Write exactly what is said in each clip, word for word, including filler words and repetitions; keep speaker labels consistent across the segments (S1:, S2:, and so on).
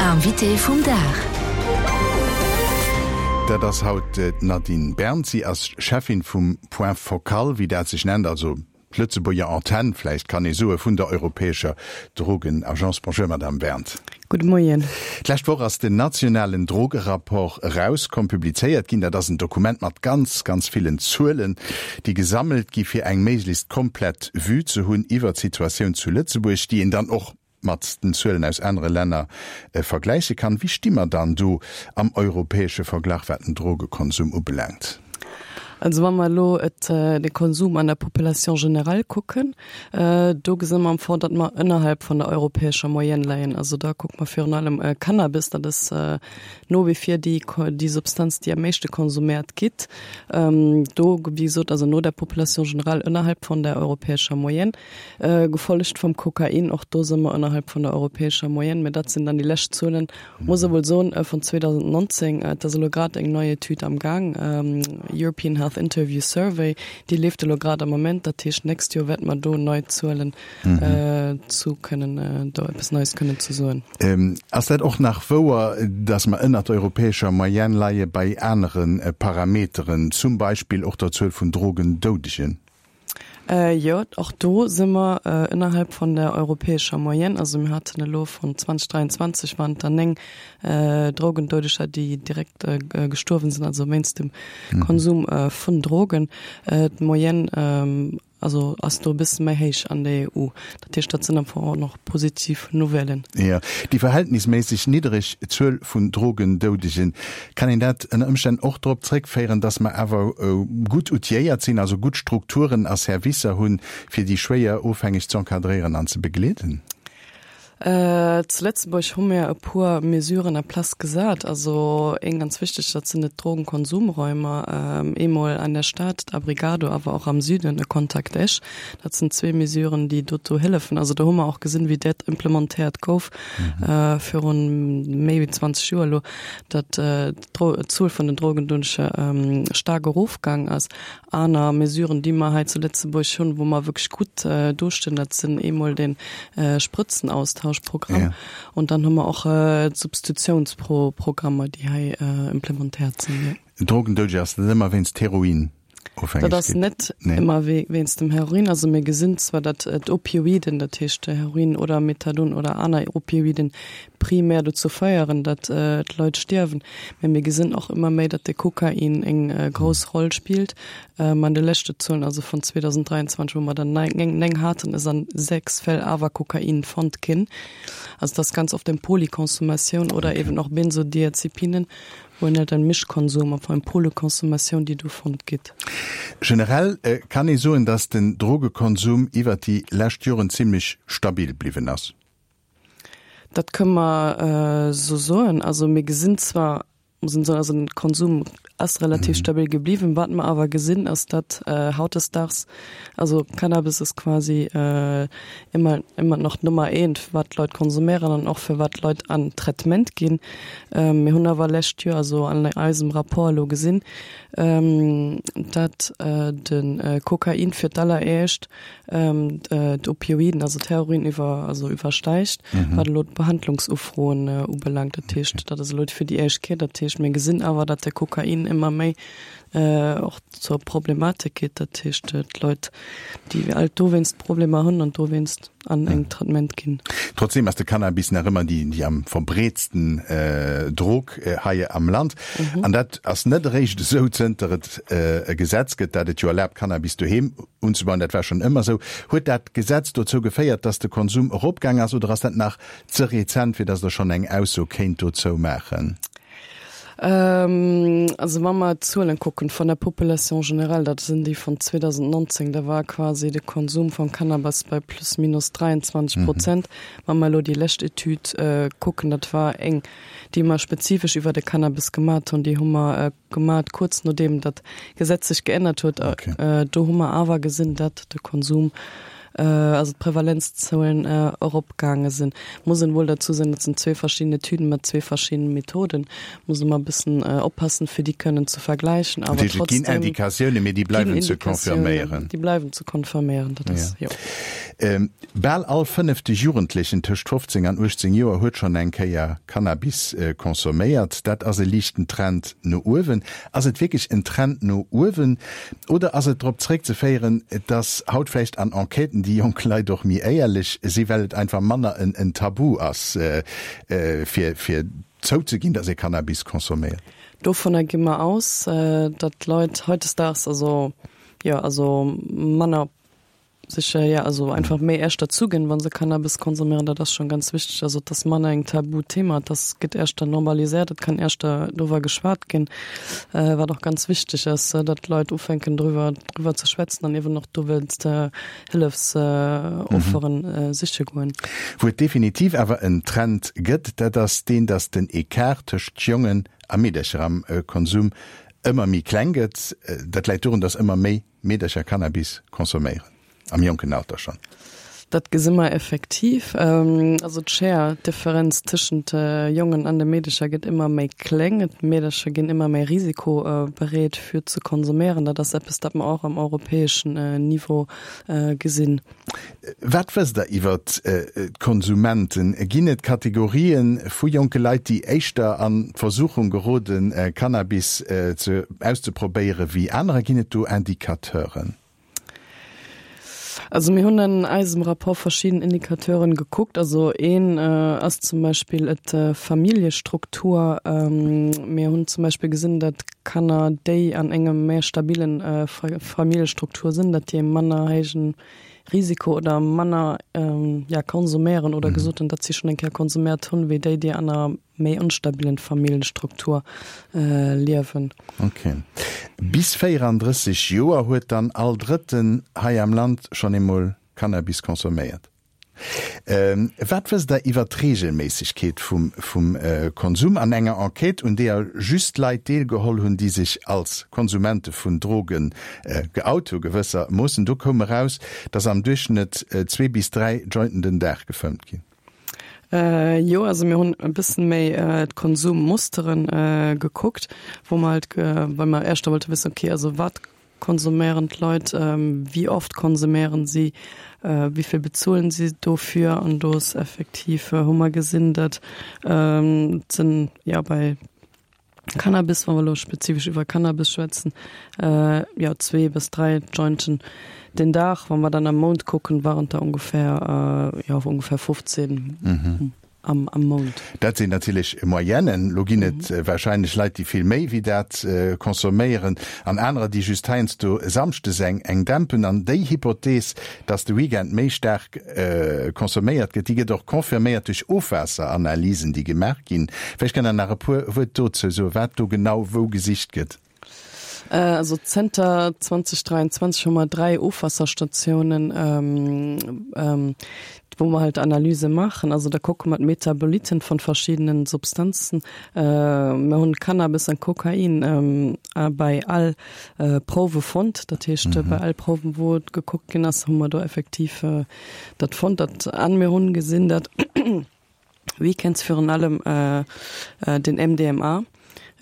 S1: Invité vum Dag.
S2: Dat ass haut d'Nadine Berndt. Si ass Cheffin vum Point focal, wéi dat sech nennt, also d'Lëtzebuerger Antenn, vläicht kann ee soe, vun der europäescher Drogenagence. Bonjour, Madame Berndt.
S3: Gudde Moien.
S2: D'lescht Woch ass den nationalen Drogerapport erauskomm, publizéiert ginn. Dat ass en Dokument mat ganz, ganz villen Zuelen, déi gesammelt gi fir eng méiglechst komplett Vue ze hunn iwwer d'Situatioun zu Lëtzebuerg, déi een dann och mat den Zuelen aus anere Länner vergläiche kann. Wéi sti mer dann do am europäesche Verglach, wat den Drogekonsum ubelaangt?
S3: Also wa mer elo et de Konsum an der Population générale kucken, do gesi mer am Fong, datt mer ënnerhalb vun der europäescher Moyenne leien. Also da kucke mer virun allem Cannabis, dat ass no wie vir déi déi Substanz, déi am meeschte konsuméiert gëtt. Do, wéi gesot, also no der Population générale ënnerhalb vun der europäescher Moyenne, gefollegt vum Kokain, och do si mer ënnerhalb vun der europäescher Moyenne. Mä dat sinn dann déi lescht Zuelen, muss ee wuel soen, vun zweedausendnonzéng. Et ass elo grad eng nei Etüd am Gaang, European Health Interview Survey, déi leeft elo grad am Moment. Dat heescht, d'nächst Joer wäerte mer do nei Zuelen zu kënnen, do eppes Neies kënnen ze soen.
S2: Ass dat och nach wouer, dass mer ënnert der europäescher Moyenne leie bei anere Parameteren, zum Beispill och der Zuel vun Drogendoudegen?
S3: Jo, och do si mer ënnerhalb vun der europäescher Moyenne. Also mir haten elo vun zweedausend dräianzwanzeg waren et der néng Drogendoudeger, déi direkt gestuerwen sinn, also wéinst dem Konsum vun Drogen. D'Moyenne also ass do e bësse méi héich an der E U. Dat heescht, dat sinn am Fong och nach positiv Nouvellen.
S2: Jo, déi verhältnisméisseg niddereg Zuel vun Drogendoudegen, kann een dat ënner Ëmstänn och drop zréckféieren, datt mer awer gutt outilléiert sinn, also gutt Strukturen a Servicer hunn, fir déi schwéier Ofhängeg ze encadréieren an ze begleeden?
S3: Zu Lëtzebuerg hu mir e puer Mesuren en place gesat. Also eng ganz wichteg, dat sinn d'Drogenkonsumräumer, eemol an der Stad, d'Abrigado, awer och am Süden, e Contact Esch. Dat sinn zwee Mesuren, déi dozou hëllefen. Also do hu mer och gesinn, wéi dat implementéiert gouf virun méi wéi zwanzeg Joer elo, datt d'Zuel vun den Drogendoudege staark erofgaang ass. Aner Mesuren, déi mer hei zu Lëtzebuerg hunn, wou mer wierklech gutt dostinn, dat sinn eemol de Sprëtzenaustauschprogramm und dann hu mer och d'Substitutiounsprogrammer, déi hei implementéiert sinn.
S2: Drogendoudege, ass dat ëmmer wéinst Heroin?
S3: Dat ass net ëmmer wéinst dem Heroin. Also mir gesinn zwar, datt d'Opioiden, dat heescht Heroin oder Methadon oder aner Opioiden, primär dozou féieren, datt d'Leit stierwen. Mä mir gesinn och ëmmer méi, datt de Kokain eng grouss Roll spillt. An de leschte Zuelen, also vun zweedausend dräianzwanzeg, wou mer dann néng haten, ass an sechs Fäll awer Kokain fonnt ginn. Also dat ass ganz oft eng Polyconsommatioun oder eben och Benzodiazepinen, wou een halt en Mischkonsum, enfin eng Polyconsommatioun, déi do fonnt gëtt.
S2: Generell kann ee soen, dass den Drogekonsum iwwert déi lescht Joren zimlech stabil bliwwen ass.
S3: Dat kënne mer esou soen. Also mir gesinn zwar, muss een soen, also den Konsum ass relativ stabil gebliwwen. Wat mer awer gesinn, ass, datt hautdesdaags, also Cannabis ass quasi ëmmer ëmmer nach Nummer eent, wat d'Leit konsuméieren an och fir wat d'Leit an Traitement ginn. Mir hunn awer lescht Joer, also an eisem Rapport elo gesinn, datt de Kokain fir d'alleréischt d'Opioiden, also d'Heroin iwwer, also iwwersteigt, wat elo d'Behandlungsufroen ubelaangt. Dat heescht, dat ass elo fir déi éischt Kéier. Dat heescht, mir gesinn awer, datt de Kokain ëmmer méi och zur Problematik gëtt. Dat heescht, d'Leit, déi alt dowéinst Problemer hunn an dowéinst an eng Traitement ginn.
S2: Trotzdem ass de Cannabis nach ëmmer déi, déi am verbreetsten Drog hei am Land. An dat ass net eréischt esou, zënter et e Gesetz gëtt, dat et jo erlaabt, Cannabis doheem unzebauen. Dat war schonn ëmmer esou. Huet dat Gesetz dozou geféiert, dass de Konsum eropgaang ass oder ass dat nach ze rezent, fir dass Der schonn eng Ausso kéint dozou maachen?
S3: Also wa mer d'Zuelen kucken vun der Population générale, dat sinn déi vun zweedausendnonzéng, da war quasi de Konsum vum Cannabis bei plus minus dräianzwanzeg Prozent. Wa mer elo déi lescht Etüd kucken, dat war eng, déi mer spezifesch iwwer de Cannabis gemat hunn, déi hu mer gemat kuerz nodeem dat Gesetz sech geännert huet, do hu mer awer gesinn, datt de Konsum also d'Prävalenzzuelen eropgaange sinn. Muss een wuel derzou soen, dat sinn zwee verschidden Etüden mat zwee verschiddene Methoden, muss ee mol e bëssen oppassen, fir déi kënnen ze vergläichen,
S2: awer trotzdem. Et ginn Indikatiounen, mee déi bleiwen ze confirméieren.
S3: Déi bleiwen ze confirméieren, dat ass, jo.
S2: Bal all fënnefte Jugendlechen tëscht fofzéng an uechtzéng Joer huet schonn eng Kéier Cannabis consomméiert. Dat ass e liichten Trend no uewen. Ass et wierklech en Trend no uewen oder ass et drop zréckzeféieren, dass haut vläicht an Enquêten déi jonk Leit och méi éierlech si well et einfach manner en Tabu ass fir fir zouzeginn, dass ee Cannabis consomméiert?
S3: Dovunner gi mer aus, datt d'Leit hautdesdaags also jo also manner sech jo also einfach méi éischter zuginn, wa se Cannabis konsuméieren. Dat ass schonn ganz wichteg. Also et ass manner eng Tabuthema, et ass gëtt éischter normaliséiert, et kann éischter doriwwer geschwat ginn, wat och ganz wichteg ass, datt d'Leit ufänken driwwer driwwer ze schwätzen an eeben och dowéinst Hëllefsofferen siche goen.
S2: Wou et definitiv awer en Trend gëtt, dat ass deen, datt den Ecart tëscht Jongen a Meedercher am Konsum ëmmer méi kleng gëtt. Dat läit dorun, datt ëmmer méi Meedercher Cannabis consomméieren, am jonken Alter schonn.
S3: Dat gesi mer effektiv. Also d'Schéier, d'Differenz tëschent Jongen an de Meedercher gëtt ëmmer méi kleng. D'Meedercher ginn ëmmer méi risikobereet fir ze konsuméieren. Dat ass eppes, dat mer och am europäeschen Niveau gesinn.
S2: Wat wësst Der iwwer d'Konsumenten? Ginn et Kategorië vu jonke Leit, déi éischter an d'Versuchung geroden, Cannabis auszeprobéiere wéi anerer? Ginn et do Indicateuren?
S3: Also mir hunn an eisem Rapport verschidden Indicateuren gekuckt. Also een ass zum Beispill d'Familljestruktur. Mir hunn zum Beispill gesinn, datt Kanner, déi an engem méi stabilen Familljestruktur sinn, datt déi e manner héijen Risiko oder manner ja konsuméieren oder gesot hunn, datt si schonn eng Kéier konsuméiert hunn, wéi déi, déi an enger méi onstabilen Familljenstruktur liewen.
S2: Ok. Bis véierandrësseg Joer huet dann all Drëtten hei am Land schonn eemol Cannabis consomméiert. Wat wësst Der iwwer d'Reegelméissegkeet vum Konsum? An enger Enquête, un deeër just Leit deelgeholl hunn, déi sech als Konsumente vun Droge geout hu gewëssermoossen, do koum eraus, datt am Duerchschnëtt zwee bis dräi Jointen den Dag gefëmmt ginn.
S3: Jo, also mir hunn e bëssen méi d'Konsummusteren gekuckt, wou mer halt, well mer éischter wollte wëssen, okay, also wat konsuméieren d'Leit, wéi oft konsuméieren si, wéi vill bezuelen si dofir an do ass effektiv, hu mer gesinn, datt et sinn, jo bei Cannabis, wa mer elo spezifesch iwwer Cannabis schwätzen, jo zwee bis dräi Jointen den Dag. Wa mer dann am Mount kucken, waren et der ongeféier, jo ongeféier fofzéng. Am Mount.
S2: Dat sinn natierlech Moyennen. Lo ginn et warscheinlech Leit, déi vill méi wéi dat consomméieren an anerer, déi just heiansdo samschdes eng eng dämpen. An déi Hypothees, dass de Weekend méi staark consomméiert gëtt, déi gëtt och confirméiert duerch Ofwaasseranalysen, déi gemaach ginn. Vläicht kënnt Der nach e puer Wuert dozou soen, wat do genau wou gesicht gëtt.
S3: Also zënter zweitausenddräiundzwanzeg hu mer dräi Ofwasserstatiounen, wou mer halt Analyse maachen. Also da kucke mer d'Metaboliten von verschiddenen Substanzen. Mir hunn Cannabis an Kokain bei all Prouwe fonnt. Dat heescht, bei all Prouwen, wou et gekuckt ginn ass, hu mer do effektiv dat fonnt. Dat an mir hunn gesinn, datt Weekends virun allem den M D M A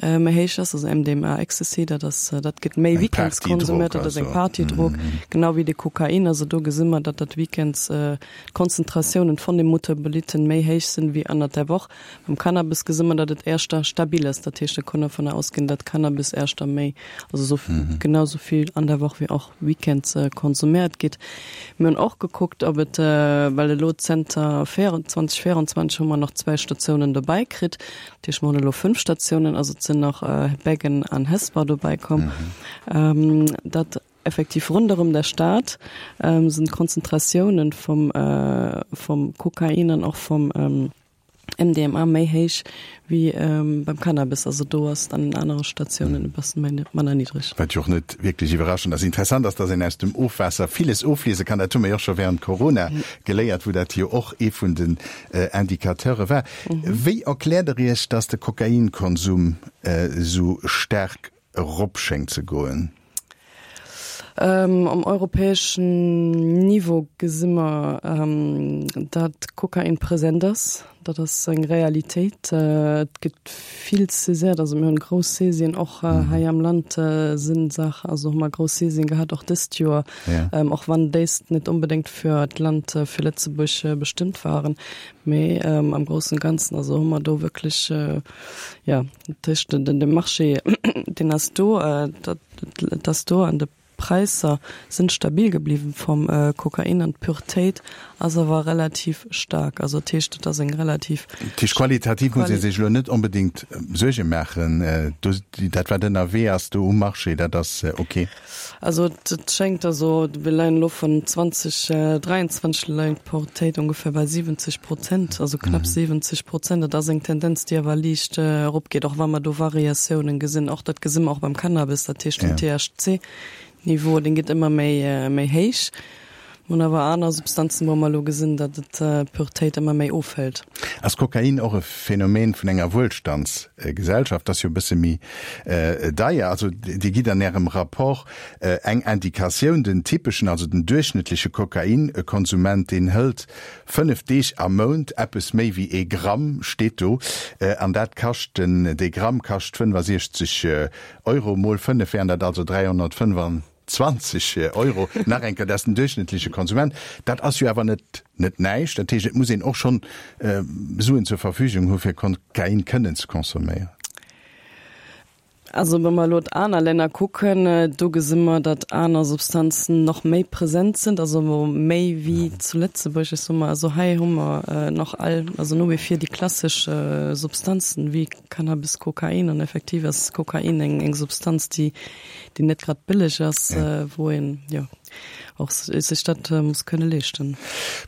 S3: méi héich ass, also M D M A Ecstasy, dat ass, dat gëtt méi weekends konsumiert, dat ass eng Partydrog, genau wéi de Kokain. Also do gesi mer, datt dat weekends d'Konzentratiounen vun de Metaboliten méi héich sinn wéi ënnert der Woch. Beim Cannabis gesi mer, datt et éischter stabil ass, dat heescht, et kann dovunner ausginn, datt Cannabis éischter méi, also sou genau sou vill an der Woch wéi och weekends konsumiert gëtt. Mir hunn och gekuckt, ob et, well elo zënter zweitausendvéierundzwanzeg hu mer nach zwéi Statiounen dobäi kritt, dat heescht mer hunn elo fënnf Statiounen, also et sinn nach Beggen an Hesper dobäi komm, datt effektiv ronderëm der Stad sinn d'Konzentratiounen vum vum Kokain an och vum M D M A méi héich wéi beim Cannabis. Also do ass et an den anere Statiounen e bëssen méi manner niddreg.
S2: Wat jo och net wierklech iwwerraschend ass. Interessant ass, dass een aus dem Ofwaasser villes ofliese kann. Dat hu mer jo och scho während Corona geléiert, wou dat jo och ee vun den Indicateure war. Wéi erkläert Der Iech, dass de Kokainkonsum esou staark erop schéngt ze goen?
S3: Um europäeschen Niveau gesi mer, datt Kokain present ass. Dat ass eng Realitéit. Et gëtt vill saisiert, also mir hunn grouss Saisien och hei am Land sinn Saach, also hu mer grouss Saisien gehat och dëst Joer, och wann déist net onbedéngt fir d'Land, fir Lëtzebuerg bestëmmt waren. Mee am groussen Ganzen also hu mer do wierklech, jo, dat heescht den de Marché deen ass do, dat dat ass do an de Präisser sinn stabil gebliwwen vum Kokain an d'Puretéit ass awer relativ staark. Also dat heescht, et ass eng relativ.
S2: Dat heescht, qualitativ muss ee sech elo net onbedéngt Suerge maachen, do dat wat ënnerwee ass do um Marché, dat ass ok?
S3: Also et schéngt, also mir leien elo vun zwanzeg dräianzwanzeg leien d'Puretéit ongeféier bei siwwenzeg Prozent, also knapp siwwenzeg Prozent. Dat ass eng Tendenz, déi awer liicht eropgeet, och wa mer do Variatiounen gesinn. Och dat gesi mer och beim Cannabis, dat heescht den T H C Niveau, deen geet ëmmer méi méi héich. Mir hunn awer aner Substanzen, wou mer elo gesinn, datt et d'Puretéit ëmmer méi ofhëlt.
S2: Ass Kokain och e Phänomen vun enger Wuelstandsgesellschaft? Ass jo e bësse méi deier. Also Dir gitt an Ärem Rapport eng Indikatioun, den typeschen, also den duerchschnëttleche Kokainkonsument, deen hëlt fënnef Deeg am Mount eppes méi wéi ee Gramm, steet do, an dat kascht, den dee Gramm kascht fënnefasiechzeg Euro, mol fënnef wären dat also dräihonnertfënnefanzwanzeg Euro. Nach eng Kéier, dat ass den duerchschnëttleche Konsument. Dat ass jo awer net net näischt. Dat heescht, et muss een och schonn Suen zur Verfügung hu fir Kokain kënnen ze consomméieren.
S3: Also wa mer elo aner Länner kucken, do gesi mer, datt aner Substanzen nach méi present sinn, also méi wéi zu Lëtzebuerg. Ech soe mol, also hei hu mer nach all, also no wie vor déi klassesch Substanzen wéi Cannabis, Kokain an effektiv ass Kokain eng eng Substanz, déi déi net grad bëlleg ass, wou een, jo, och sech dat muss kënne leeschten.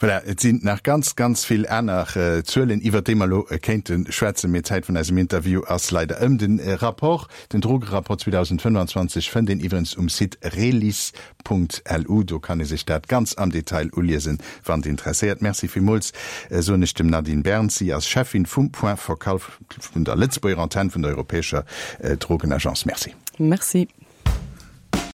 S2: Voilà, et sinn nach ganz, ganz vill aner Zuelen, iwwert déi mer elo kéinte schwätzen, mee d'Zäit vun eisem Interview ass leider ëm. Den Rapport, den Drogerapport zweedausendfënnfanzwanzeg fënnt een iwwerens um Site relis Punkt L U. Do kann ee sech dat ganz am Detail uliesen, wann et interesséiert. Merci villmools, soen ech dem Nadine Berns. Si ass Cheffin vum Point focal vun der Lëtzebuerger Antenn vun der Europäescher Drogenagence. Merci.
S3: Merci.